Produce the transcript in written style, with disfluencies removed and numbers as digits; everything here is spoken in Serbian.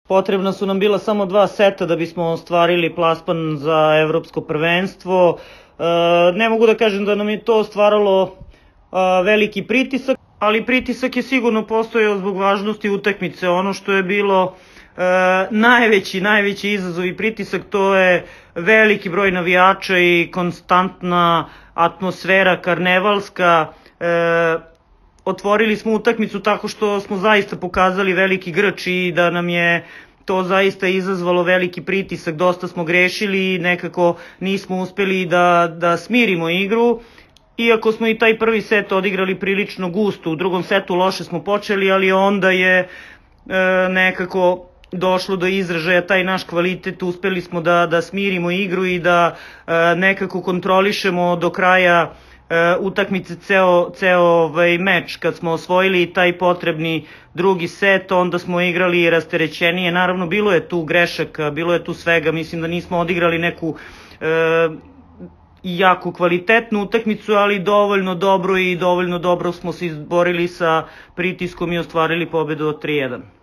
Potrebna su nam bila samo 2 seta da bismo ostvarili plasman za evropsko prvenstvo. Ne mogu da kažem da nam je to stvaralo veliki pritisak, ali pritisak je sigurno postojao zbog važnosti utakmice. Ono što je bilo najveći izazov i pritisak, to je veliki broj navijača i konstantna atmosfera karnevalska. Otvorili smo utakmicu tako što smo zaista pokazali veliki grč i da nam je to zaista izazvalo veliki pritisak. Dosta smo grešili i nekako nismo uspeli da smirimo igru. Iako smo i taj prvi set odigrali prilično gusto, u drugom setu loše smo počeli, ali onda je nekako došlo do izražaja taj naš kvalitet. Uspeli smo da smirimo igru i da nekako kontrolišemo do kraja utakmice ceo meč. Kad smo osvojili taj potrebni drugi set, onda smo igrali rasterećenije. Naravno, bilo je tu grešaka, bilo je tu svega. Mislim da nismo odigrali neku jako kvalitetnu utakmicu, ali dovoljno dobro i dovoljno dobro smo se izborili sa pritiskom i ostvarili pobedu od 3:1.